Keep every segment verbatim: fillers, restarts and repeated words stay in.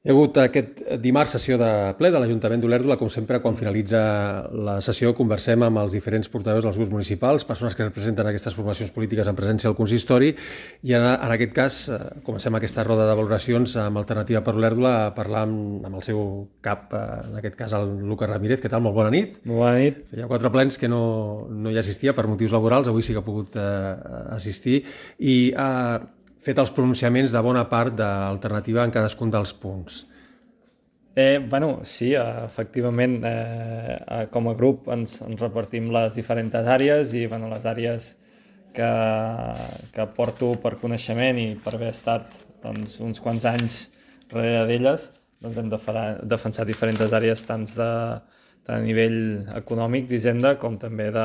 Hi ha hagut aquest dimarts sessió de ple de l'Ajuntament d'Olèrdola. Com sempre, quan finalitza la sessió, conversem amb els diferents portaveus dels grups municipals, persones que representen aquestes formacions polítiques en presència al consistori, i en, en aquest cas eh, comencem aquesta roda de valoracions amb Alternativa per Olèrdola a parlar amb, amb el seu cap, eh, en aquest cas el Lucas Ramírez. Què tal? Molt bona nit. Molt bona nit. Feia quatre plens que no, no hi assistia per motius laborals, avui sí que ha pogut eh, assistir, i ha fet els pronunciaments de bona part d'Alternativa en cadascun dels punts. Eh, bueno, sí, efectivament, eh, com a grup ens, ens repartim les diferents àrees i bueno, les àrees que, que porto per coneixement i per haver estat doncs, uns quants anys darrere d'elles, doncs hem de farà, defensat diferents àrees tant de, tant a nivell econòmic d'Hisenda com també de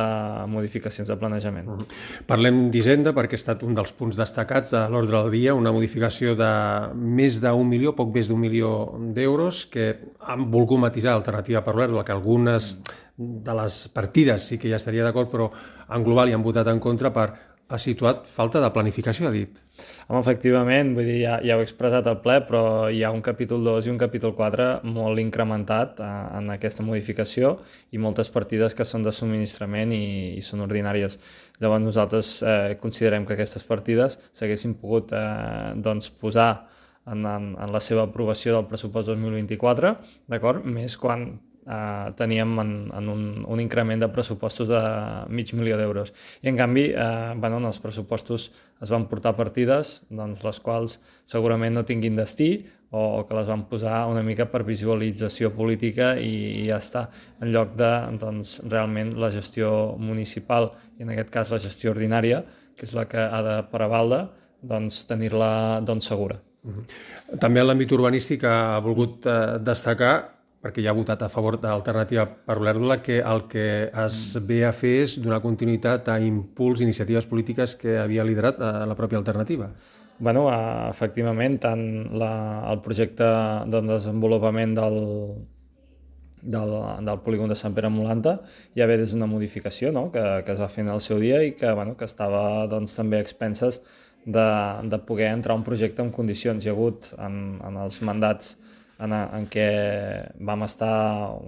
modificacions de planejament. Uh -huh. Parlem d'Hisenda perquè ha estat un dels punts destacats de l'ordre del dia, una modificació de més d'un milió, poc més d'un milió d'euros, que han volgut matisar Alternativa per Olèrdola, que algunes de les partides sí que ja estaria d'acord, però en global hi han votat en contra per ha situat falta de planificació, ha dit. Home, efectivament, vull dir, ja, ja ho he expressat al ple, però hi ha un capítol dos i un capítol quatre molt incrementat eh, en aquesta modificació i moltes partides que són de subministrament i, i són ordinàries. Llavors nosaltres eh, considerem que aquestes partides s'haguessin pogut eh, doncs, posar en, en, en la seva aprovació del pressupost dos mil vint-i-quatre, d'acord? Més quan Uh, teníem en, en un, un increment de pressupostos de mig milió d'euros. I en canvi, uh, bueno, en els pressupostos es van portar partides doncs, les quals segurament no tinguin destí o, o que les van posar una mica per visualització política i, i ja està, en lloc de doncs, realment la gestió municipal i en aquest cas la gestió ordinària, que és la que ha de prevaldre, doncs, tenir-la doncs, segura. Uh-huh. També en l'àmbit urbanístic ha volgut uh, destacar, perquè ja ha votat a favor d'Alternativa per Olèrdola, que el que es ve a fer és donar continuïtat a impuls, iniciatives polítiques que havia liderat a la pròpia Alternativa. Bueno, efectivament, tant la, el projecte de desenvolupament del, del, del polígon de Sant Pere Molanta ja ve des d'una modificació, no?, que, que es va fer en el seu dia i que, bueno, que estava doncs, també a expenses de, de poder entrar un projecte en condicions. Hi ha hagut en, en els mandats En, en què vam estar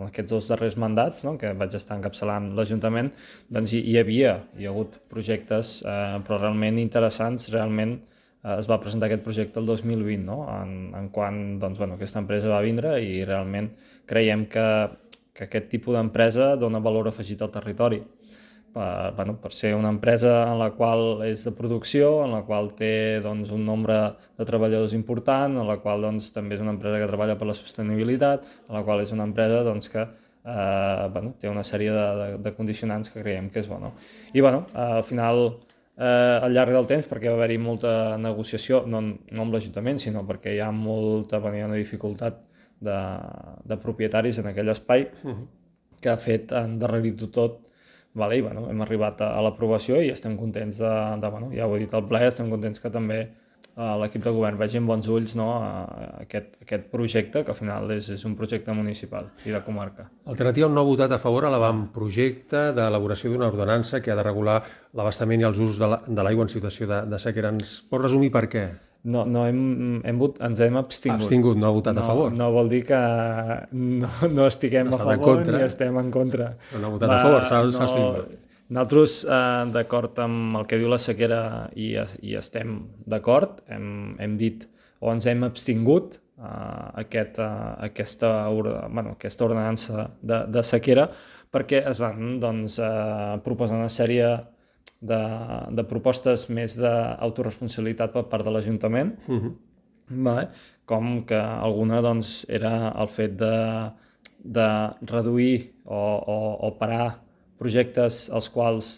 aquests dos darrers mandats, no? Que vaig estar encapçalant l'Ajuntament, doncs hi, hi havia, hi ha hagut projectes, eh, però realment interessants. Realment eh, es va presentar aquest projecte el dos mil vint, no? en, en quan doncs, bueno, aquesta empresa va vindre i realment creiem que, que aquest tipus d'empresa dona valor afegit al territori. Per, bueno, per ser una empresa en la qual és de producció, en la qual té doncs, un nombre de treballadors important, en la qual doncs, també és una empresa que treballa per la sostenibilitat, en la qual és una empresa doncs, que eh, bueno, té una sèrie de, de, de condicionants que creiem que és bo. No? I bueno, al final, eh, al llarg del temps, perquè va haver-hi molta negociació, no, no amb l'Ajuntament, sinó perquè hi ha molta hi ha una dificultat de, de propietaris en aquell espai que ha fet endarrerir-ho tot. Vale, i bueno, hem arribat a, a l'aprovació i estem contents de, de bueno, ja ho he dit al ple, estem contents que també eh, l'equip de govern vegi amb bons ulls, no, a aquest, aquest projecte, que al final és, és un projecte municipal i de comarca. Alternativa no ha votat a favor a l'avantprojecte d'elaboració d'una ordenança que ha de regular l'abastament i els usos de l'aigua la, en situació de, de sequera. Ens pot resumir per què? No, no hem, hem vot, ens hem abstingut. Abstingut, no ha votat no, a favor. No vol dir que no, no estiguem no a favor ni estem en contra. Però no ha votat Va, a favor, s'ha no, abstingut. Nosaltres, eh, d'acord amb el que diu la sequera, i, i estem d'acord, hem, hem dit o ens hem abstingut eh, aquest, eh, aquesta, bueno, aquesta ordenança de, de sequera perquè es van doncs, eh, proposar una sèrie De, de propostes més d'autoresponsabilitat per part de l'Ajuntament, uh-huh. vale? Com que alguna doncs, era el fet de, de reduir o, o, o parar projectes els quals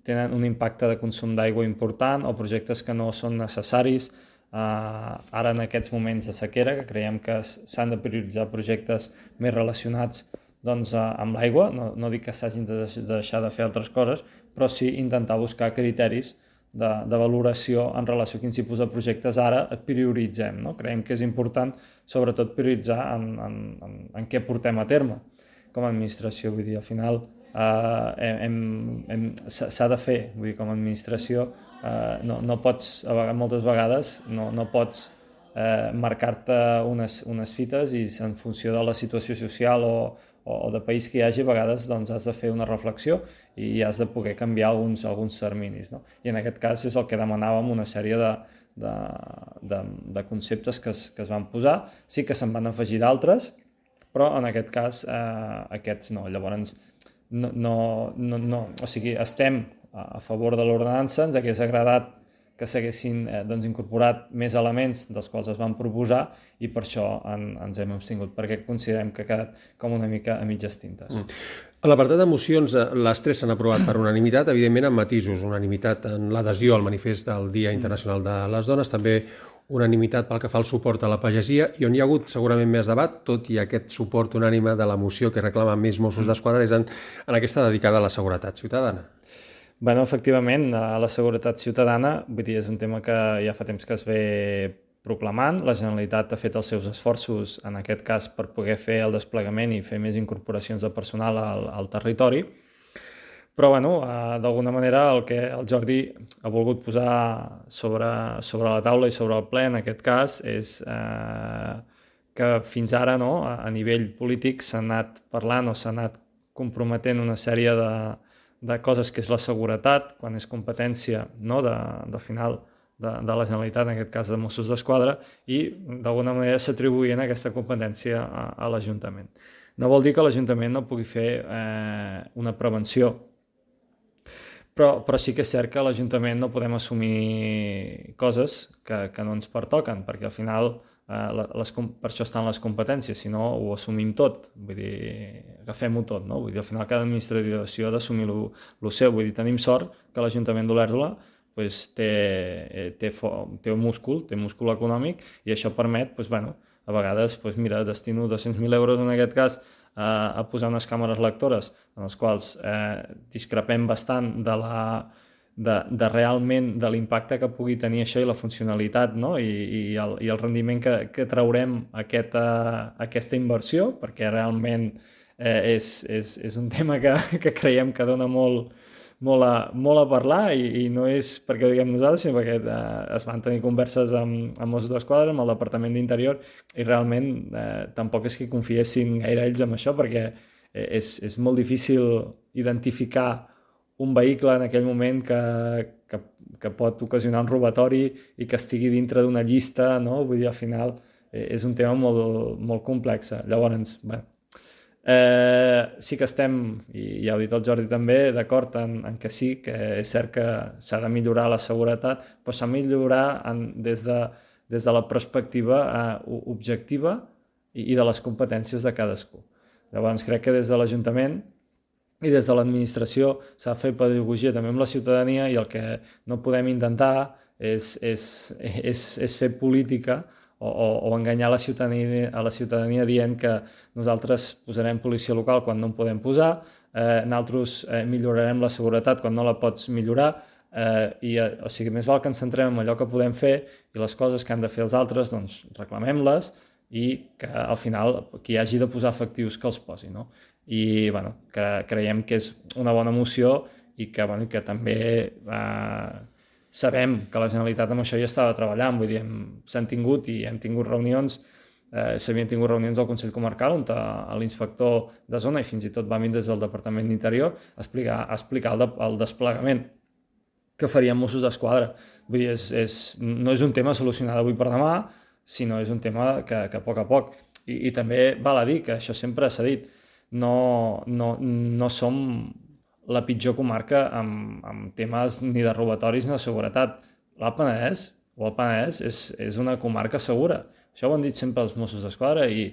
tenen un impacte de consum d'aigua important o projectes que no són necessaris eh, ara en aquests moments de sequera, que creiem que s'han de prioritzar projectes més relacionats doncs, amb l'aigua. No, no dic que s'hagin de deixar de fer altres coses, però sí intentar buscar criteris de, de valoració en relació a quins tipus de projectes ara et prioritzem. No? Creiem que és important, sobretot, prioritzar en, en, en, en què portem a terme com a administració. Vull dir, al final eh, hem, hem, s'ha de fer, vull dir, com a administració, eh, no, no pots, a vegades, moltes vegades, no, no pots eh, marcar-te unes, unes fites i en funció de la situació social o, o de país que hi hagi, a vegades doncs, has de fer una reflexió i has de poder canviar alguns, alguns terminis, no? I en aquest cas és el que demanàvem, una sèrie de, de, de, de conceptes que es, que es van posar. Sí que se'n van afegir d'altres, però en aquest cas eh, aquests no. Llavors, no, no, no, no, o sigui, estem a favor de l'ordenança, ens hagués agradat que s'haguessin eh, doncs, incorporat més elements dels quals es van proposar i per això en, ens hem abstingut, perquè considerem que ha quedat com una mica a mitges tintes. Mm. A l'apartat de mocions, les tres s'han aprovat per unanimitat, evidentment amb matisos, unanimitat en l'adhesió al manifest del Dia Internacional de les Dones, també unanimitat pel que fa al suport a la pagesia, i on hi ha hagut segurament més debat, tot i aquest suport unànime de la moció que reclama més Mossos d'Esquadra, és en, en aquesta dedicada a la seguretat ciutadana. Bueno, efectivament, la seguretat ciutadana, vull dir, és un tema que ja fa temps que es ve proclamant. La Generalitat ha fet els seus esforços, en aquest cas, per poder fer el desplegament i fer més incorporacions de personal al, al territori. Però, bueno, d'alguna manera el que el Jordi ha volgut posar sobre, sobre la taula i sobre el ple, en aquest cas, és eh, que fins ara, no, a nivell polític, s'ha anat parlant o s'ha anat comprometent una sèrie de de coses que és la seguretat, quan és competència, no, de, de final de, de la Generalitat, en aquest cas de Mossos d'Esquadra, i d'alguna manera s'atribuïen aquesta competència a, a l'Ajuntament. No vol dir que l'Ajuntament no pugui fer eh, una prevenció, però, però sí que és cert que a l'Ajuntament no podem assumir coses que, que no ens pertoquen, perquè al final Uh, les, per això estan les competències, si no ho assumim tot, vull dir, agafem-ho tot, no? Vull dir, al final cada administració ha d'assumir el seu, vull dir, tenim sort que l'Ajuntament d'Olèrdola pues, té, té, té un múscul, té múscul econòmic i això permet, pues, bueno, a vegades, pues, mira, destino dos-cents mil euros en aquest cas a, a posar unes càmeres lectores en les quals eh, discrepem bastant de la De, de realment de l'impacte que pugui tenir això i la funcionalitat, no? I, i, el, i el rendiment que, que traurem aquesta, aquesta inversió, perquè realment eh, és, és, és un tema que, que creiem que dona molt, molt, a, molt a parlar i, i no és perquè ho diguem nosaltres, sinó perquè eh, es van tenir converses amb, amb Mossos d'Esquadra, amb el Departament d'Interior, i realment eh, tampoc és que confiessin gaire ells en això, perquè és, és molt difícil identificar un vehicle en aquell moment que, que, que pot ocasionar un robatori i que estigui dintre d'una llista, no? Vull dir, al final és un tema molt, molt complex. Llavors, bé, eh, sí que estem, i ja ho ha dit el Jordi també, d'acord en, en que sí, que és cert que s'ha de millorar la seguretat, però s'ha de millorar en, des, de, des de la perspectiva eh, objectiva i, i de les competències de cadascú. Llavors, crec que des de l'Ajuntament i des de l'administració s'ha de fer pedagogia també amb la ciutadania i el que no podem intentar és, és, és, és fer política o, o, o enganyar la ciutadania, a la ciutadania dient que nosaltres posarem policia local quan no en podem posar, eh, nosaltres eh, millorarem la seguretat quan no la pots millorar, eh, i, o sigui, més val que ens centrem en allò que podem fer i les coses que han de fer els altres, doncs reclamem-les i que al final qui hagi de posar efectius que els posi, no? I bueno, que creiem que és una bona moció i que, bueno, que també eh, sabem que la Generalitat amb això ja estava treballant, vull dir, s'han tingut i hem tingut reunions, eh, s'havien tingut reunions al Consell Comarcal on l'inspector de zona i fins i tot va venir des del Departament d'Interior a explicar, a explicar el, de, el desplegament que farien Mossos d'Esquadra. Vull dir, és, és, no és un tema solucionat avui per demà, sinó és un tema que, que a poc a poc. I, i també val a dir que això sempre s'ha dit, No, no, no som la pitjor comarca amb, amb temes ni de robatoris ni de seguretat. L'Alt Penedès o el Penedès és, és una comarca segura. Això ho han dit sempre els Mossos d'Esquadra i,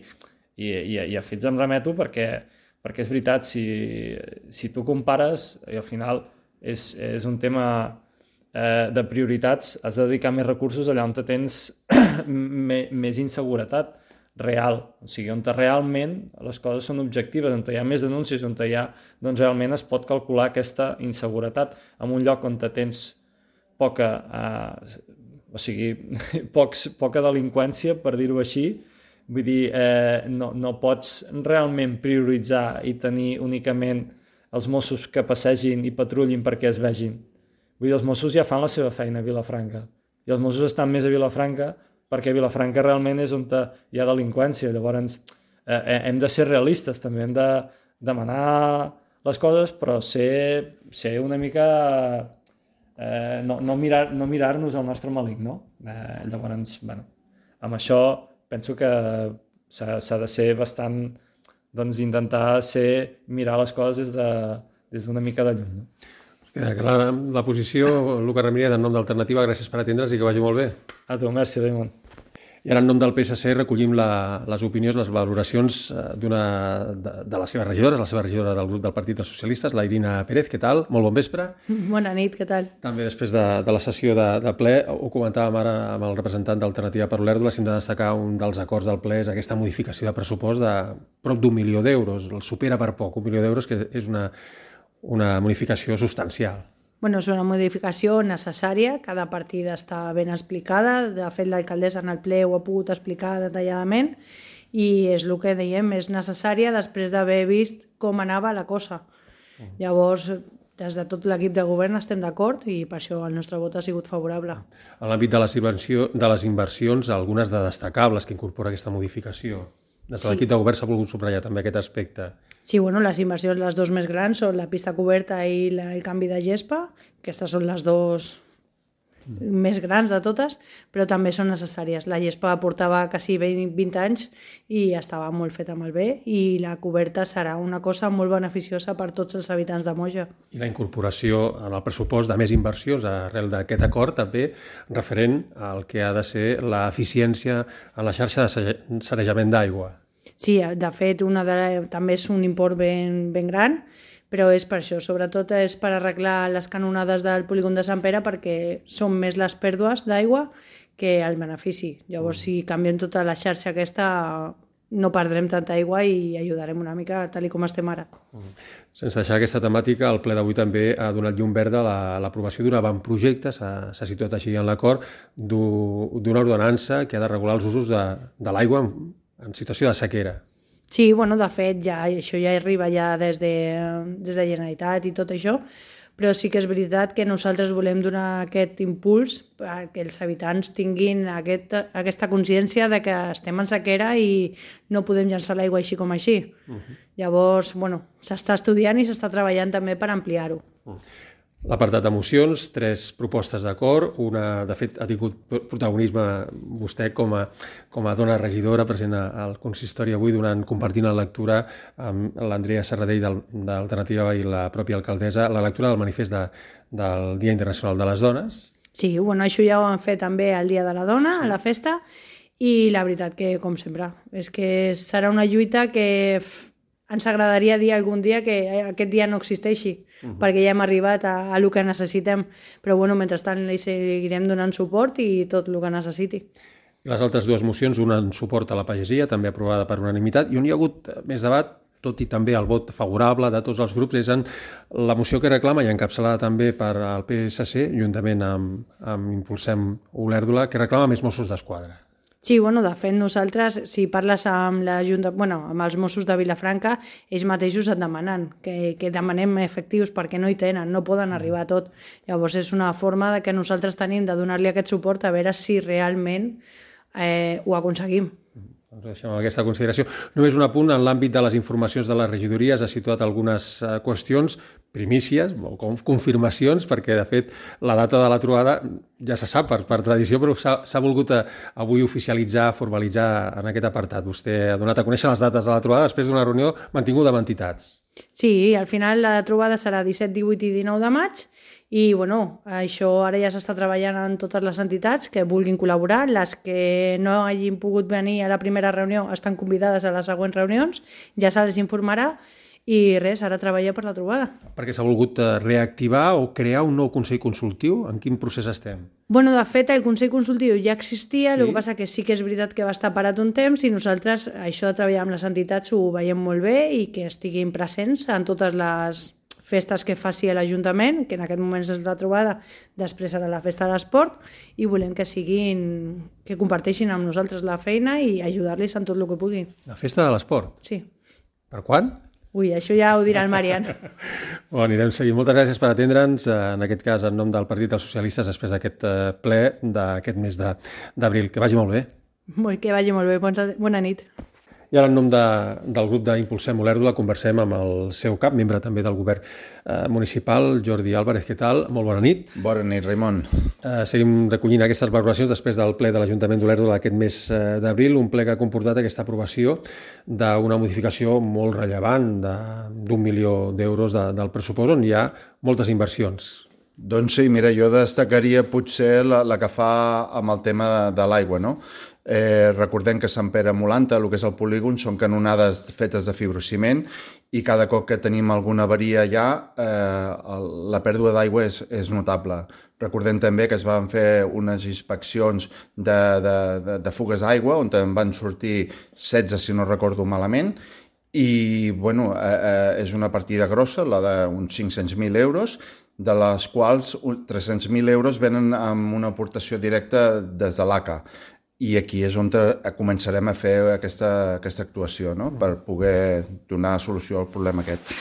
i, i, i a fets em remeto perquè, perquè és veritat, si, si tu compares i al final és, és un tema eh, de prioritats, has de dedicar més recursos allà on tens més inseguretat real, o sigui, on realment les coses són objectives, on hi ha més denúncies, on hi ha, doncs realment es pot calcular aquesta inseguretat en un lloc on tens poca, eh, o sigui, pocs, poca delinqüència, per dir-ho així, vull dir, eh, no, no pots realment prioritzar i tenir únicament els Mossos que passegin i patrullin perquè es vegin. Vull dir, els Mossos ja fan la seva feina a Vilafranca, i els Mossos estan més a Vilafranca perquè Vilafranca realment és on hi ha delinqüència. Llavors eh, hem de ser realistes, també hem de demanar les coses, però ser, ser una mica... Eh, no, no mirar, no mirar-nos el nostre malic, no? Eh, llavors, bueno, amb això penso que s'ha de ser bastant, doncs intentar ser, mirar les coses des de, des d'una mica de lluny, no? Queda clara la posició. Lucas Ramírez, en nom d'Alternativa, gràcies per atendre'ns i que vagi molt bé. A tu, merci, Raimon. I ara, en nom del P S C, recollim la, les opinions, les valoracions d'una de, de les seves regidores, la seva regidora del grup del Partit dels Socialistes, la Irina Pérez. Què tal? Molt bon vespre. Bona nit, què tal? També després de, de la sessió de, de ple, ho comentàvem ara amb el representant d'Alternativa per Olèrdola, si hem de destacar un dels acords del ple és aquesta modificació de pressupost de prop d'un milió d'euros. El supera per poc, un milió d'euros, que és una, una modificació substancial. Bueno, és una modificació necessària, cada partida està ben explicada, de fet l'alcaldessa en el ple ho ha pogut explicar detalladament i és el que dèiem, és necessària després d'haver vist com anava la cosa. Uh. Llavors, des de tot l'equip de govern estem d'acord i per això el nostre vot ha sigut favorable. En l'àmbit de, de les inversions, algunes de destacables que incorpora aquesta modificació. Des de l'equip de govern s'ha volgut subratllar també aquest aspecte. Sí, bueno, les inversions, les dues més grans, són la pista coberta i la, el canvi de gespa. Aquestes són les dues mm. més grans de totes, però també són necessàries. La gespa portava quasi vint anys i estava molt feta malbé i la coberta serà una cosa molt beneficiosa per tots els habitants de Moja. I la incorporació en el pressupost de més inversions arrel d'aquest acord també referent al que ha de ser l'eficiència en la xarxa de sanejament d'aigua. Sí, de fet, una de, també és un import ben, ben gran, però és per això, sobretot és per arreglar les canonades del polígon de Sant Pere perquè són més les pèrdues d'aigua que el benefici. Llavors, si canviem tota la xarxa aquesta, no perdrem tanta aigua i ajudarem una mica tal com estem ara. Sense deixar aquesta temàtica, el ple d'avui també ha donat llum verda a l'aprovació d'un avantprojecte, s'ha situat així en l'acord, d'una ordenança que ha de regular els usos de, de l'aigua en, en situació de sequera. Sí, bueno, de fet, ja, això ja arriba ja des de, des de Generalitat i tot això, però sí que és veritat que nosaltres volem donar aquest impuls perquè els habitants tinguin aquest, aquesta consciència de que estem en sequera i no podem llançar l'aigua així com així. Uh -huh. Llavors, bueno, s'està estudiant i s'està treballant també per ampliar-ho. Uh -huh. L'apartat de mocions, tres propostes d'acord. Una, de fet, ha tingut protagonisme vostè com a, com a dona regidora present al consistori avui, donant, compartint la lectura amb l'Andrea Serradell d'Alternativa i la pròpia alcaldessa, la lectura del manifest de, del Dia Internacional de les Dones. Sí, bueno, això ja ho han fet també el Dia de la Dona, sí, a la festa, i la veritat que, com sempre, és que serà una lluita que ens agradaria dir algun dia que aquest dia no existeixi, uh -huh. perquè ja hem arribat a, a el que necessitem, però bueno, mentrestant li seguirem donant suport i tot el que necessiti. I les altres dues mocions, una en suport a la pagesia, també aprovada per unanimitat, i on hi ha hagut més debat, tot i també el vot favorable de tots els grups, és en la moció que reclama i encapçalada també per al P S C, juntament amb, amb Impulsem Olèrdola, que reclama més Mossos d'Esquadra. Sí, bueno, de fet, nosaltres, si parles amb, la Junta, bueno, amb els Mossos de Vilafranca, ells mateixos et demanen que, que demanem efectius perquè no hi tenen, no poden arribar a tot. Llavors és una forma de que nosaltres tenim de donar-li aquest suport a veure si realment eh, ho aconseguim. Doncs deixem aquesta consideració. Només un apunt, en l'àmbit de les informacions de les regidories ha situat algunes uh, qüestions, primícies, o confirmacions, perquè de fet la data de la trobada ja se sap per, per tradició, però s'ha volgut uh, avui oficialitzar, formalitzar en aquest apartat. Vostè ha donat a conèixer les dates de la trobada després d'una reunió mantinguda amb entitats. Sí, al final la trobada serà disset, divuit i dinou de maig i bueno, això ara ja s'està treballant en totes les entitats que vulguin col·laborar. Les que no hagin pogut venir a la primera reunió estan convidades a les següents reunions, ja se'ls informarà i res, ara treballa per la trobada. Perquè s'ha volgut reactivar o crear un nou Consell Consultiu? En quin procés estem? Bueno, de fet, el Consell Consultiu ja existia, sí. El que passa que sí que és veritat que va estar parat un temps i nosaltres això de treballar amb les entitats ho veiem molt bé i que estiguin presents en totes les festes que faci l'Ajuntament, que en aquest moment és la trobada, després serà la festa de l'esport, i volem que siguin, que comparteixin amb nosaltres la feina i ajudar-los en tot el que puguin. La festa de l'esport? Sí. Per quan? Ui, això ja ho dirà el Marian. Bon, anirem seguint. Moltes gràcies per atendre'ns, en aquest cas en nom del Partit dels Socialistes, després d'aquest ple d'aquest mes d'abril. Que vagi molt bé. Molt, que vagi molt bé. Bona, bona nit. I ara, en nom de, del grup d'Impulsem Olèrdola, conversem amb el seu cap, membre també del govern eh, municipal, Jordi Álvarez. Què tal? Molt bona nit. Bona nit, Raimon. Eh, seguim recollint aquestes valoracions després del ple de l'Ajuntament d'Olèrdola d'aquest mes eh, d'abril, un ple que ha comportat aquesta aprovació d'una modificació molt rellevant d'un milió d'euros de, del pressupost, on hi ha moltes inversions. Doncs sí, mira, jo destacaria potser la, la que fa amb el tema de, de l'aigua, no? Eh, recordem que Sant Pere Molanta, el que és el polígon, són canonades fetes de fibrociment i cada cop que tenim alguna avaria allà, eh, la pèrdua d'aigua és, és notable. Recordem també que es van fer unes inspeccions de, de, de, de fugues d'aigua, on en van sortir setze, si no recordo malament, i bueno, eh, eh, és una partida grossa, la d'uns cinc-cents mil euros, de les quals tres-cents mil euros venen amb una aportació directa des de l'A C A. I aquí és on començarem a fer aquesta, aquesta actuació, no? Per poder donar solució al problema aquest.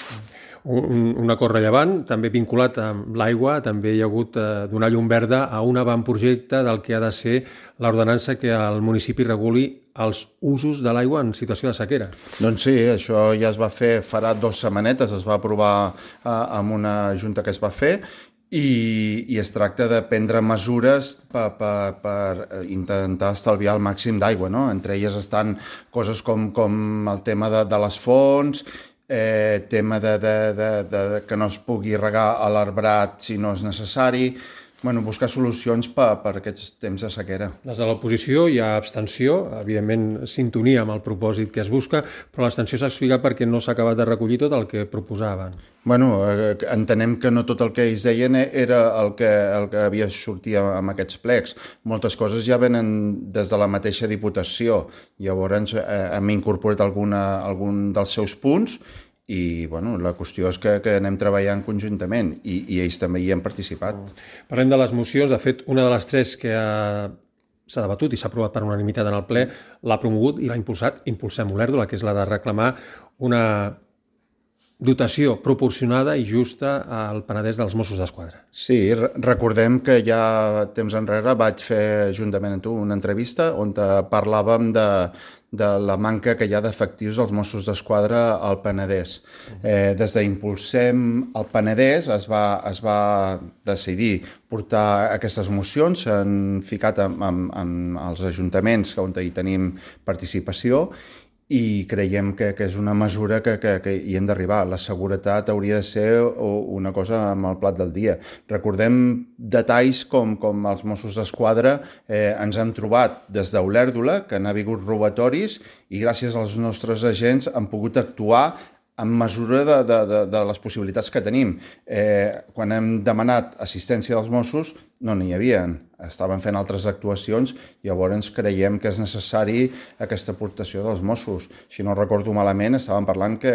Un, un acord rellevant, també vinculat amb l'aigua, també hi ha hagut eh, donar llum verda a un avantprojecte del que ha de ser l'ordenança que el municipi reguli els usos de l'aigua en situació de sequera. Doncs sí, això ja es va fer farà dues setmanetes, es va aprovar eh, amb una junta que es va fer, I, i es tracta de prendre mesures per, per, per intentar estalviar el màxim d'aigua, no? Entre elles estan coses com, com el tema de, de les fonts, eh, tema de, de, de, de que no es pugui regar a l'arbrat si no és necessari, bueno, buscar solucions per, per aquests temps de sequera. Des de l'oposició hi ha abstenció, evidentment sintonia amb el propòsit que es busca, però l'abstenció s'ha explicat perquè no s'ha acabat de recollir tot el que proposaven. Bueno, eh, entenem que no tot el que ells deien era el que, el que havia sortit amb aquests plecs. Moltes coses ja venen des de la mateixa Diputació. Llavors eh, hem incorporat alguna, algun dels seus punts i bueno, la qüestió és que, que anem treballant conjuntament i, i ells també hi han participat. Parlem de les mocions. De fet, una de les tres que ha, s'ha debatut i s'ha aprovat per unanimitat en el ple l'ha promogut i l'ha impulsat Impulsem Olèrdola, que és la de reclamar una dotació proporcionada i justa al Penedès dels Mossos d'Esquadra. Sí, recordem que ja temps enrere vaig fer juntament amb tu una entrevista on parlàvem de, de la manca que hi ha d'efectius dels Mossos d'Esquadra al Penedès. Eh, des d'Impulsem al Penedès es va, es va decidir portar aquestes mocions, s'han ficat amb, amb, amb els ajuntaments on hi tenim participació i creiem que, que és una mesura que, que, que hi hem d'arribar. La seguretat hauria de ser una cosa amb el plat del dia. Recordem detalls com, com els Mossos d'Esquadra eh, ens han trobat des d'Olèrdola, que han hagut robatoris i gràcies als nostres agents han pogut actuar en mesura de, de, de, de les possibilitats que tenim. Eh, quan hem demanat assistència dels Mossos, no n'hi havia. Estaven fent altres actuacions i llavors creiem que és necessari aquesta aportació dels Mossos. Si no recordo malament, estàvem parlant que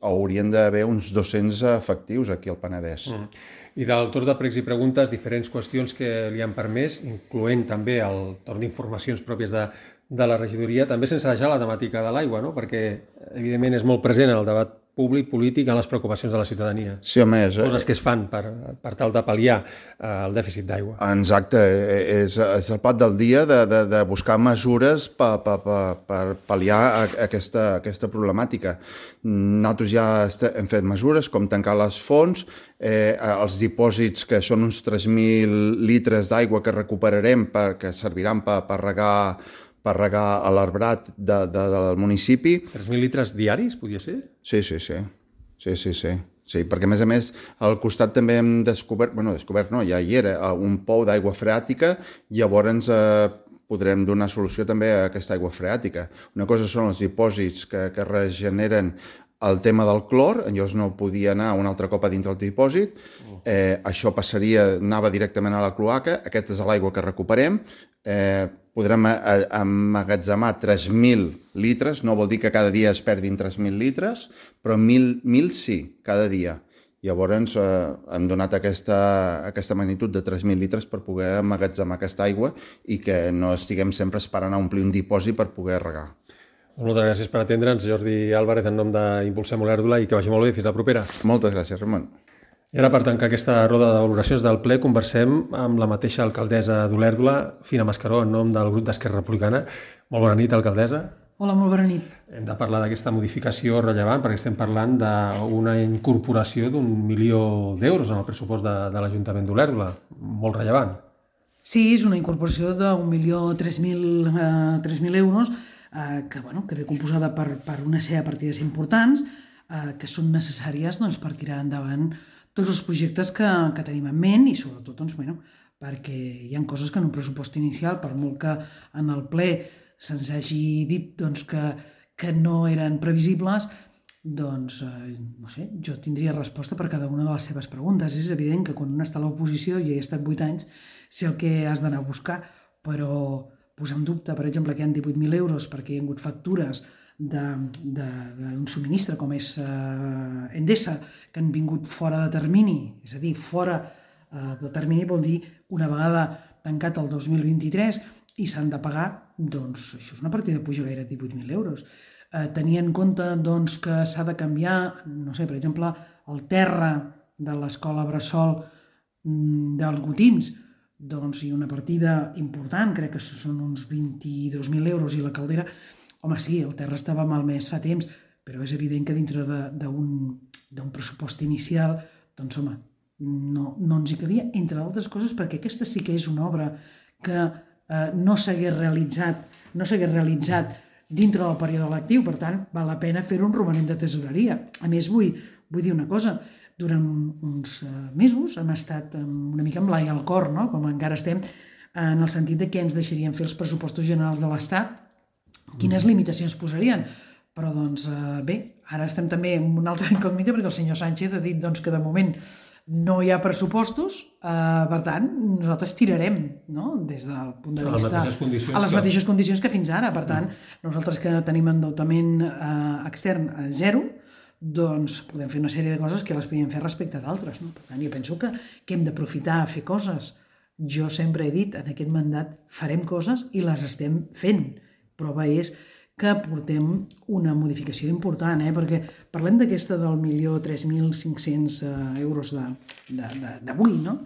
haurien d'haver uns dos-cents efectius aquí al Penedès. Mm. I del torn de pregs i preguntes, diferents qüestions que li han permès, incloent també el torn d'informacions pròpies de, de la regidoria, també sense deixar la temàtica de l'aigua, no? Perquè evidentment és molt present en el debat públic, polític, en les preocupacions de la ciutadania. Sí, home, és... Coses que es fan per, per tal de pal·liar eh, el dèficit d'aigua. Exacte, és, és el plat del dia de, de, de buscar mesures per, per, per, per pal·liar aquesta, aquesta problemàtica. Nosaltres ja hem fet mesures com tancar les fonts, eh, els dipòsits, que són uns tres mil litres d'aigua que recuperarem perquè serviran per, per regar per regar a l'arbrat de, de, del municipi. tres mil litres diaris, podia ser? Sí, sí, sí. Sí, sí, sí. Sí, perquè a més a més al costat també hem descobert, bueno, descobert no, ja hi era, un pou d'aigua freàtica, llavors eh, podrem donar solució també a aquesta aigua freàtica. Una cosa són els dipòsits que, que regeneren el tema del clor, llavors no podia anar un altre cop a dintre el dipòsit, eh, això passaria, anava directament a la cloaca, aquesta és l'aigua que recuperem, eh, podrem emmagatzemar tres mil litres, no vol dir que cada dia es perdin tres mil litres, però mil sí, cada dia. Llavors eh, hem donat aquesta, aquesta magnitud de tres mil litres per poder emmagatzemar aquesta aigua i que no estiguem sempre esperant a omplir un dipòsit per poder regar. Moltes gràcies per atendre'ns, Jordi Álvarez, en nom d'Impulsem Olèrdola, i que vagi molt bé. Fins la propera. Moltes gràcies, Ramon. I ara, per tancar aquesta roda de valoracions del ple, conversem amb la mateixa alcaldessa d'Olèrdola, Fina Mascaró, en nom del grup d'Esquerra Republicana. Molt bona nit, alcaldessa. Hola, molt bona nit. Hem de parlar d'aquesta modificació rellevant perquè estem parlant d'una incorporació d'un milió d'euros en el pressupost de, de l'Ajuntament d'Olèrdola. Molt rellevant. Sí, és una incorporació d'un milió tres mil euros eh, que, bueno, que ve composada per, per una sèrie de partides importants eh, que són necessàries doncs, per tirar endavant tots els projectes que, que tenim en ment i sobretot doncs, bueno, perquè hi ha coses que en un pressupost inicial, per molt que en el ple se'ns hagi dit doncs, que, que no eren previsibles, doncs, eh, no sé, jo tindria resposta per cada una de les seves preguntes. És evident que quan un està a l'oposició, jo he estat vuit anys, sé el que has d'anar a buscar, però posar en dubte, per exemple, que hi ha divuit mil euros perquè hi ha hagut factures d'un subministre com és eh, Endesa, que han vingut fora de termini, és a dir, fora eh, de termini vol dir una vegada tancat el dos mil vint-i-tres i s'han de pagar, doncs això és una partida que puja gaire divuit mil euros. Eh, tenir en compte doncs, que s'ha de canviar, no sé, per exemple, el terra de l'escola Bressol mm, dels Gotims, doncs hi ha una partida important, crec que són uns vint-i-dos mil euros, i la caldera, home, sí, el terra estava malmès fa temps, però és evident que dintre d'un pressupost inicial, doncs, home, no, no ens hi cabia, entre altres coses, perquè aquesta sí que és una obra que eh, no s'hagués realitzat, no s'hagués realitzat dintre del període lectiu, per tant, val la pena fer un romanent de tesoreria. A més, vull, vull dir una cosa, durant uns mesos hem estat una mica amb l'ai al cor, no? Com encara estem, en el sentit de que ens deixarien fer els pressupostos generals de l'Estat, quines limitacions posarien. Però, doncs, bé, ara estem també en una altra incògnita perquè el senyor Sánchez ha dit doncs, que de moment no hi ha pressupostos, eh, per tant, nosaltres tirarem, no? Des del punt de vista... A les mateixes condicions que fins ara. Per tant, nosaltres que tenim endeutament eh, extern a zero, doncs podem fer una sèrie de coses que les podem fer respecte d'altres. No? Per tant, jo penso que, que hem d'aprofitar a fer coses. Jo sempre he dit, en aquest mandat farem coses i les estem fent. Prova és que portem una modificació important, eh? Perquè parlem d'aquesta del milió tres mil cinc-cents euros d'avui, no?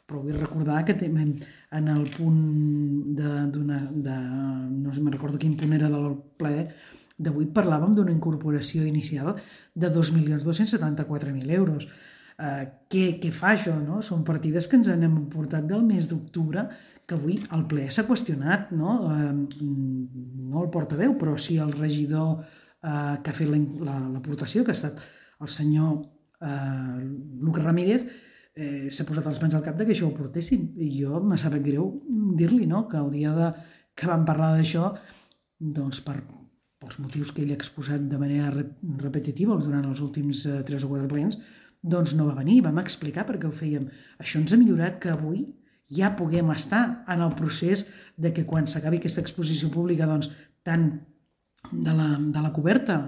Però vull recordar que en el punt d'una... no sé, me'n recordo quin punt era del ple d'avui, parlàvem d'una incorporació inicial de dos milions dos-cents setanta-quatre mil euros. Eh, què, què fa això? No? Són partides que ens han portat del mes d'octubre, que avui el ple s'ha qüestionat, no? Eh, no el portaveu, però sí el regidor eh, que ha fet l'aportació, que ha estat el senyor eh, Lucas Ramírez, eh, s'ha posat les mans al cap de que això ho portessin. I jo me sap greu dir-li, no? Que el dia de, que vam parlar d'això, doncs per, pels motius que ell ha exposat de manera repetitiva durant els últims eh, tres o quatre plens, doncs no va venir, vam explicar per què ho fèiem. Això ens ha millorat que avui ja puguem estar en el procés de que quan s'acabi aquesta exposició pública, doncs, tant de la, de la coberta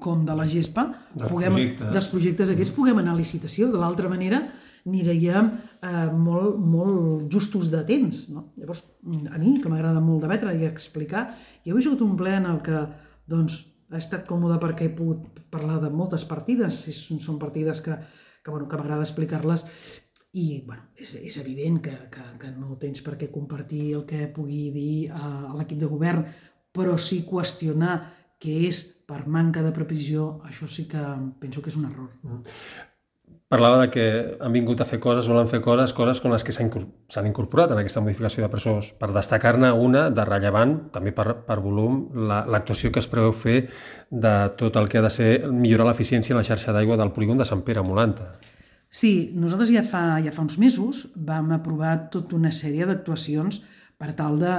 com de la gespa, dels, puguem, projectes. dels projectes aquests, puguem anar a licitació. De l'altra manera, aniríem eh, molt, molt justos de temps. No? Llavors, a mi, que m'agrada molt debatre i explicar, jo he sigut un ple en el que doncs, ha estat còmode perquè he pogut parlar de moltes partides, són partides que, que, bueno, que m'agrada explicar-les, i bueno, és, és evident que, que, que no tens per què compartir el que pugui dir a, a l'equip de govern, però sí qüestionar que és per manca de previsió, això sí que penso que és un error. Parlava de que han vingut a fer coses, volen fer coses, coses com les que s'han incorporat en aquesta modificació de pressupost. Per destacar-ne una de rellevant, també per, per volum, l'actuació que es preveu fer de tot el que ha de ser millorar l'eficiència en la xarxa d'aigua del polígon de Sant Pere a Molanta. Sí, nosaltres ja fa, ja fa uns mesos vam aprovar tota una sèrie d'actuacions per tal de,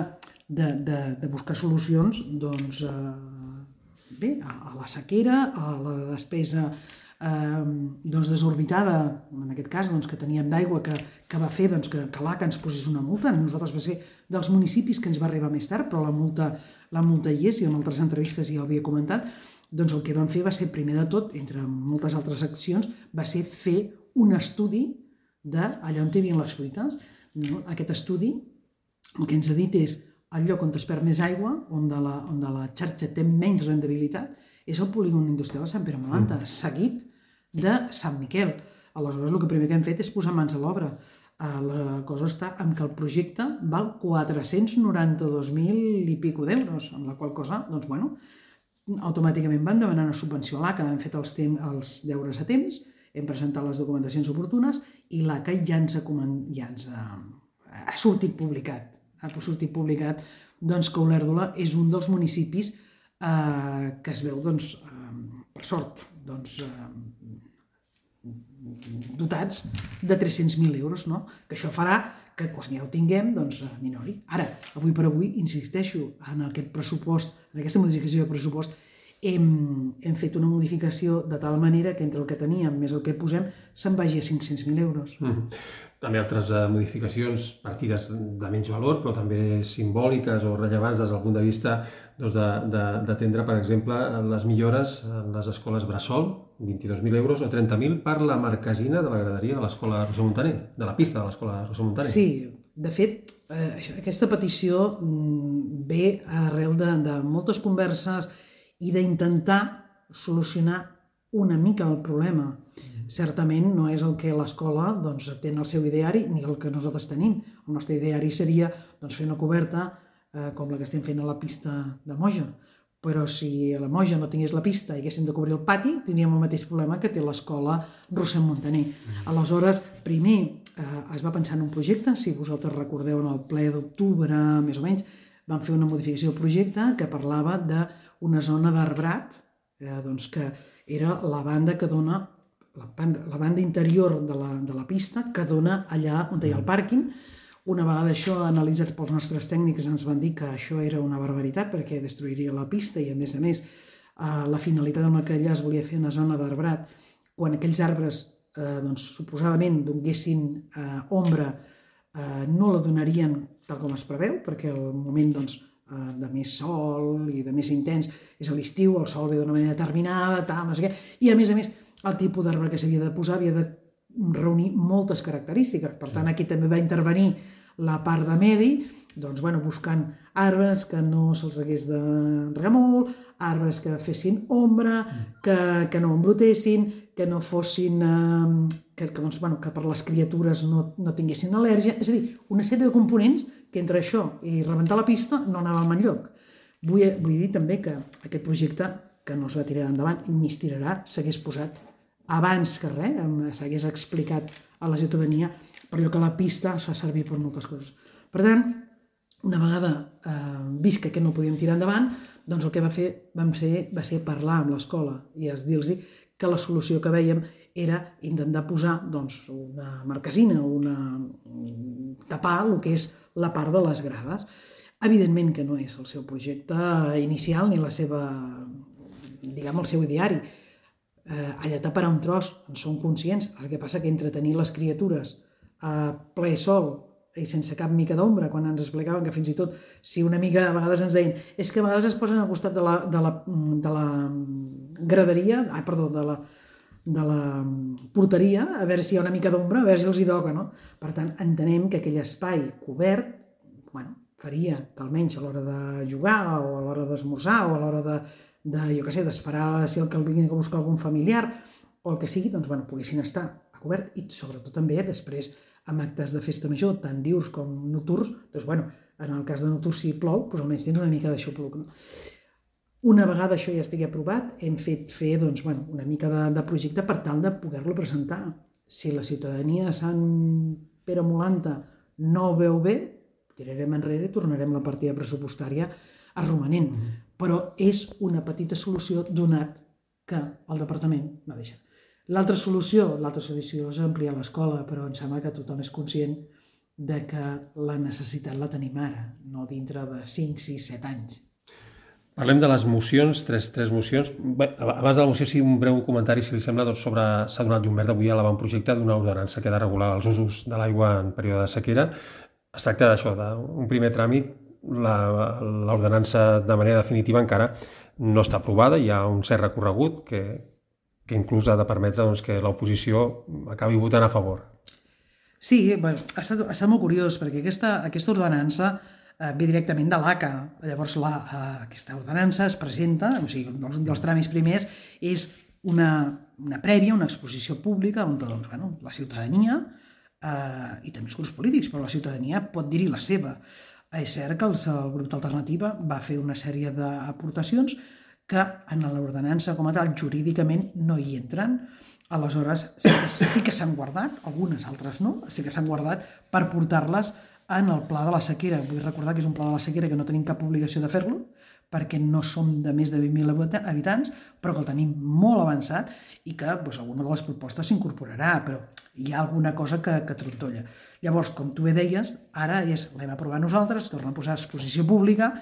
de, de, de buscar solucions doncs, eh, bé, a, a la sequera, a la despesa Eh, doncs desorbitada, en aquest cas doncs, que teníem d'aigua, que, que va fer doncs, que, que l'A C A ens posés una multa. A nosaltres va ser dels municipis que ens va arribar més tard, però la multa, la multa hi és, i en altres entrevistes ja ho havia comentat. Doncs el que vam fer va ser, primer de tot, entre moltes altres accions, va ser fer un estudi d'allà on hi havia les fruites. No? Aquest estudi el que ens ha dit és el lloc on es perd més aigua, on de la, on de la xarxa té menys rendibilitat, és el polígon industrial de Sant Pere Molanta, mm. seguit de Sant Miquel. Aleshores, el que primer que hem fet és posar mans a l'obra. La cosa està en que el projecte val quatre-cents noranta-dos mil i pico d'euros, amb la qual cosa, doncs, bueno, automàticament vam demanar una subvenció a l'A C A, hem fet els, temps, els deures a temps, hem presentat les documentacions oportunes i l'A C A ja ens ha, ja ens ha, ha sortit publicat. Ha sortit publicat doncs, que Olèrdola és un dels municipis eh, que es veu, doncs, eh, per sort, doncs, eh, dotats de tres-cents mil euros, no? Que això farà que quan ja ho tinguem, doncs, minori. Ara, avui per avui, insisteixo, en aquest pressupost, en aquesta modificació de pressupost, hem, hem fet una modificació de tal manera que entre el que teníem més el que posem se'n vagi a cinc-cents mil euros. Mm. També altres uh, modificacions, partides de menys valor, però també simbòliques o rellevants des del punt de vista doncs, d'atendre, per exemple, les millores en les escoles Bressol, vint-i-dos mil euros o trenta mil per la marquesina de la graderia de l'escola Roser Montaner, de la pista de l'escola Roser Montaner. Sí, de fet, eh, aquesta petició ve arrel de, de moltes converses i d'intentar solucionar una mica el problema. Certament no és el que l'escola doncs, té en el seu ideari ni el que nosaltres tenim. El nostre ideari seria doncs, fer una coberta eh, com la que estem fent a la pista de Moja. Però si a la Moja no tingués la pista i haguéssim de cobrir el pati, tindríem el mateix problema que té l'escola Roser Montaner. Aleshores, primer eh, es va pensar en un projecte, si vosaltres recordeu en el ple d'octubre, més o menys, vam fer una modificació del projecte que parlava d'una zona d'arbrat, eh, doncs, que era la banda que dona La banda, la banda interior de la, de la pista que dona allà on hi ha el pàrquing. Una vegada això analitzat pels nostres tècnics ens van dir que això era una barbaritat perquè destruiria la pista i a més a més eh, la finalitat amb la que allà es volia fer una zona d'arbrat, quan aquells arbres eh, doncs, suposadament donguessin eh, ombra eh, no la donarien tal com es preveu perquè el moment doncs, eh, de més sol i de més intens és a l'estiu, el sol ve d'una manera determinada, tal, no sé què, i a més a més el tipus d'arbre que s'havia de posar havia de reunir moltes característiques. Per tant, aquí també va intervenir la part de medi, doncs, bueno, buscant arbres que no se'ls hagués de regar molt, arbres que fessin ombra, que, que no embrutessin, que no fossin... Eh, que, que, doncs, bueno, que per les criatures no, no tinguessin al·lèrgia. És a dir, una sèrie de components que entre això i rebentar la pista no anàvem enlloc. Vull, vull dir també que aquest projecte que no es va tirar endavant ni es tirarà, s'hagués posat abans que res, s'hagués explicat a la ciutadania, per allò que la pista es fa servir per moltes coses. Per tant, una vegada eh, vist que aquest no podíem tirar endavant, doncs el que va fer, vam fer va ser parlar amb l'escola i dir-los que la solució que vèiem era intentar posar doncs, una marquesina, una... tapar el que és la part de les grades. Evidentment que no és el seu projecte inicial ni la seva, diguem, el seu ideari. Eh, allà taparà un tros, en som conscients. El que passa que entre tenir les criatures a ple sol i sense cap mica d'ombra, quan ens explicaven que fins i tot, si una mica a vegades ens deien és que a vegades es posen al costat de la, de la, de la graderia, ah, perdó, de la, de la porteria, a veure si hi ha una mica d'ombra, a veure si els hi toca, no? Per tant, entenem que aquell espai cobert, bueno, faria que almenys a l'hora de jugar o a l'hora d'esmorzar o a l'hora de de, jo què sé, d'esperar si el que el vinguin a buscar algun familiar o el que sigui, doncs, bueno, poguessin estar a cobert i sobretot també després amb actes de festa major, tant diürns com nocturns, doncs, bueno, en el cas de nocturns si plou, doncs almenys tens una mica d'aixopluc, no? Una vegada això ja estigui aprovat, hem fet fer, doncs, bueno, una mica de, de projecte per tal de poder-lo presentar. Si la ciutadania de Sant Pere Molanta no ho veu bé, tirarem enrere i tornarem la partida pressupostària a romanent. Mm-hmm. Però és una petita solució donat que el departament no deixa. L'altra solució, l'altra solució és ampliar l'escola, però em sembla que tothom és conscient de que la necessitat la tenim ara, no dintre de cinc, sis, set anys. Parlem de les mocions, tres, tres mocions. Bé, abans de la moció, sí, un breu comentari, si li sembla, doncs, sobre s'ha donat llum verda avui a l'avantprojecte d'una ordenança que ha de regular els usos de l'aigua en període de sequera. Es tracta d'això, d'un primer tràmit. L'ordenança de manera definitiva encara no està aprovada, hi ha un cert recorregut que, que inclús ha de permetre doncs, que l'oposició acabi votant a favor. Sí, bueno, ha, estat, ha estat molt curiós perquè aquesta, aquesta ordenança eh, ve directament de l'A C A. Llavors, la, eh, aquesta ordenança es presenta, o sigui, un dels, dels tràmits primers és una, una prèvia, una exposició pública on doncs, bueno, la ciutadania eh, i també els grups polítics, però la ciutadania pot dir-hi la seva. És cert que els, el grup d'Alternativa va fer una sèrie d'aportacions que en l'ordenança com a tal jurídicament no hi entren. Aleshores sí que, sí que s'han guardat, algunes altres no, sí que s'han guardat per portar-les en el pla de la sequera. Vull recordar que és un pla de la sequera que no tenim cap obligació de fer-lo, perquè no som de més de vint mil habitants, però que el tenim molt avançat i que doncs, alguna de les propostes s'incorporarà, però hi ha alguna cosa que, que trontolla. Llavors, com tu bé deies, ara és l'hem aprovat nosaltres, torna a posar a exposició pública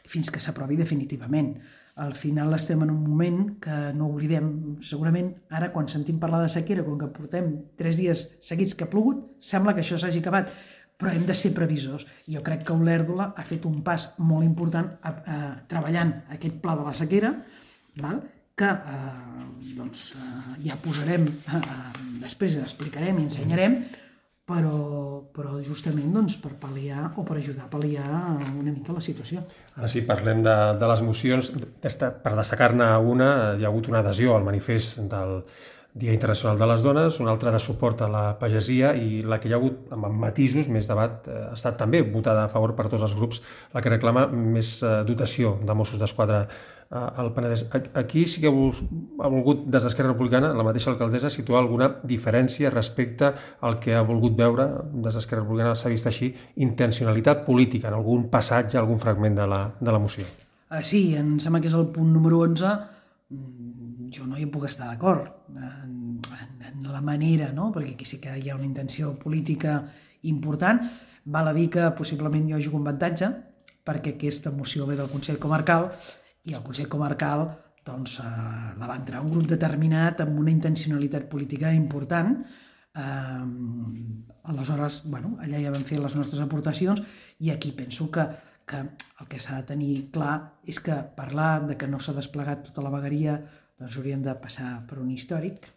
fins que s'aprovi definitivament. Al final estem en un moment que no oblidem, segurament ara quan sentim parlar de sequera, com que portem tres dies seguits que ha plogut, sembla que això s'hagi acabat, però hem de ser previsors. Jo crec que Olèrdola ha fet un pas molt important a, a, treballant aquest pla de la sequera, val? que eh, doncs, eh, ja posarem, eh, després explicarem i ensenyarem, però, però justament doncs, per pal·liar o per ajudar a pal·liar una mica la situació. Ara sí, parlem de, de les mocions. Per destacar-ne una, hi ha hagut una adhesió al manifest del Dia Internacional de les Dones, una altra de suport a la pagesia i la que hi ha hagut amb matisos, més debat, ha estat també votada a favor per tots els grups, la que reclama més dotació de Mossos d'Esquadra al Penedès. Aquí sí que ha volgut, des d'Esquerra Republicana, la mateixa alcaldessa, situar alguna diferència respecte al que ha volgut veure, des d'Esquerra Republicana s'ha vist així, intencionalitat política en algun passatge, algun fragment de la, de la moció. Sí, em sembla que és el punt número onze. Jo no hi puc estar d'acord en, en, en la manera, no? Perquè aquí sí que hi ha una intenció política important. Val a dir que possiblement jo jugo un avantatge, perquè aquesta moció ve del Consell Comarcal i el Consell Comarcal doncs, eh, la va entrar un grup determinat amb una intencionalitat política important. Eh, aleshores, bueno, allà ja vam fer les nostres aportacions i aquí penso que que el que s'ha de tenir clar és que parlar de que no s'ha desplegat tota la vegueria doncs hauríem de passar per un històric.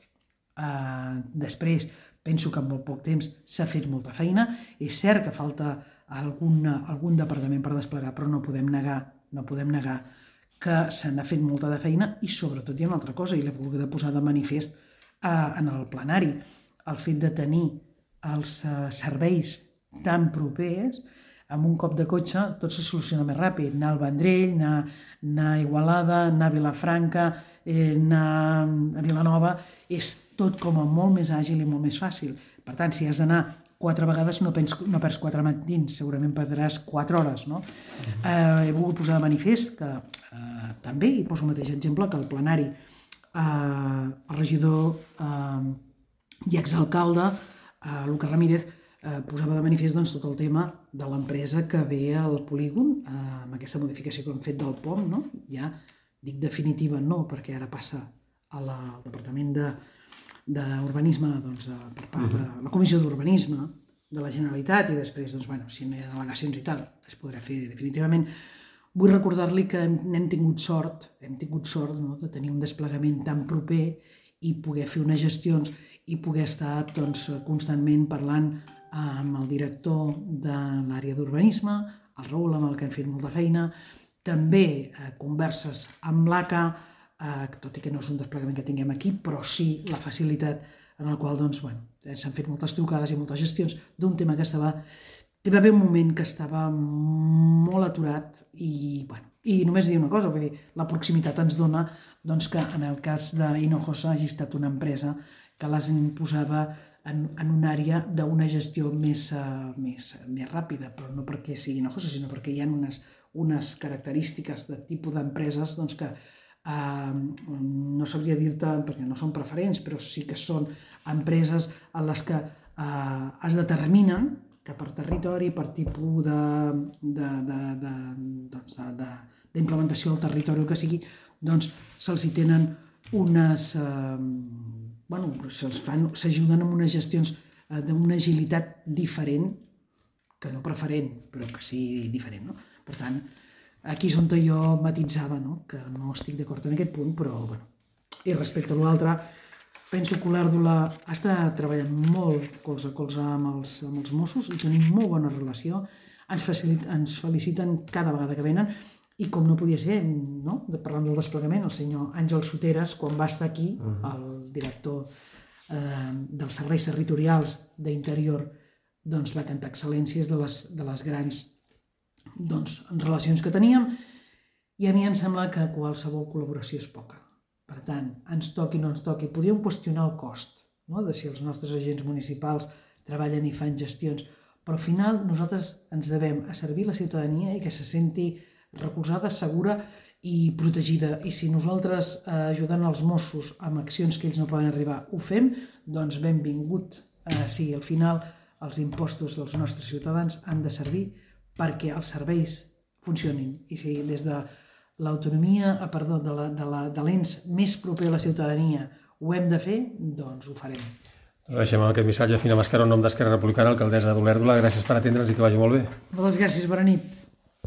Uh, després, penso que en molt poc temps s'ha fet molta feina. És cert que falta algun, algun departament per desplegar, però no podem negar, no podem negar que se n'ha fet molta de feina i sobretot hi ha una altra cosa, i l'he volgut posar de manifest uh, en el plenari. El fet de tenir els uh, serveis tan propers, amb un cop de cotxe tot se soluciona més ràpid. Anar al Vendrell, anar, anar a Igualada, anar a Vilafranca, eh, anar a Vilanova, és tot com a molt més àgil i molt més fàcil. Per tant, si has d'anar quatre vegades no, pens, no perds quatre matins, segurament perdràs quatre hores. No? Eh, he volgut posar de manifest que eh, també, i poso el mateix exemple, que el plenari, eh, el regidor eh, i exalcalde, eh, Lucas Ramírez, Eh, posava de manifest doncs, tot el tema de l'empresa que ve al polígon, eh, amb aquesta modificació que hem fet del P O M, no? Ja dic definitiva no, perquè ara passa a la, al Departament d'Urbanisme, doncs, per part de la Comissió d'Urbanisme de la Generalitat, i després, doncs, bueno, si no hi ha al·legacions i tal, es podrà fer definitivament. Vull recordar-li que hem tingut sort, hem tingut sort no, de tenir un desplegament tan proper i poder fer unes gestions i poder estar doncs, constantment parlant amb el director de l'àrea d'urbanisme, el Raül, amb el que hem fet molta feina, també eh, converses amb l'A C A, eh, tot i que no és un desplegament que tinguem aquí, però sí la facilitat en el qual doncs, bueno, s'han fet moltes trucades i moltes gestions d'un tema que estava... Hi va haver un moment que estava molt aturat i, bueno, i només dir una cosa, vull dir, la proximitat ens dona doncs, que en el cas d'Hinojosa hagi estat una empresa que les imposava en, en una àrea d'una gestió més, uh, més, més ràpida, però no perquè sigui Hinojosa, sinó perquè hi ha unes, unes característiques de tipus d'empreses doncs, que uh, no sabria dir-te perquè no són preferents, però sí que són empreses en les que uh, es determinen que per territori, per tipus de, de, de, de, doncs de, de, d'implementació del territori o que sigui, doncs se'ls hi tenen unes... Uh, bueno, se'ls fan, s'ajuden amb unes gestions uh, d'una agilitat diferent, que no preferent, però que sí diferent, no? Per tant, aquí és on jo matitzava, no? Que no estic d'acord en aquest punt, però, bueno, i respecte a l'altre, penso que l'Olèrdola està treballant molt colze a colze amb els, amb els Mossos i tenim molt bona relació. ens, facilita, ens feliciten cada vegada que venen, i com no podia ser, no? Parlant del desplegament, el senyor Àngel Soteres, quan va estar aquí, el director eh, dels serveis territorials d'Interior, doncs va cantar excel·lències de les, de les grans doncs, relacions que teníem, i a mi em sembla que qualsevol col·laboració és poca. Per tant, ens toqui o no ens toqui, podríem qüestionar el cost, no? De si els nostres agents municipals treballen i fan gestions, però al final nosaltres ens devem a servir la ciutadania i que se senti recolzada, segura i protegida. I si nosaltres, eh, ajudant els Mossos amb accions que ells no poden arribar, ho fem, doncs benvingut. Eh, sí, al final els impostos dels nostres ciutadans han de servir perquè els serveis funcionin. I si des de l'autonomia, perdó, de, la, de, la, de l'ens més proper a la ciutadania ho hem de fer, doncs ho farem. Deixem amb aquest missatge. Fina Mascaró, en nom d'Esquerra Republicana, alcaldessa d'Olèrdola. Gràcies per atendre'ns i que vagi molt bé. Moltes gràcies, bona nit.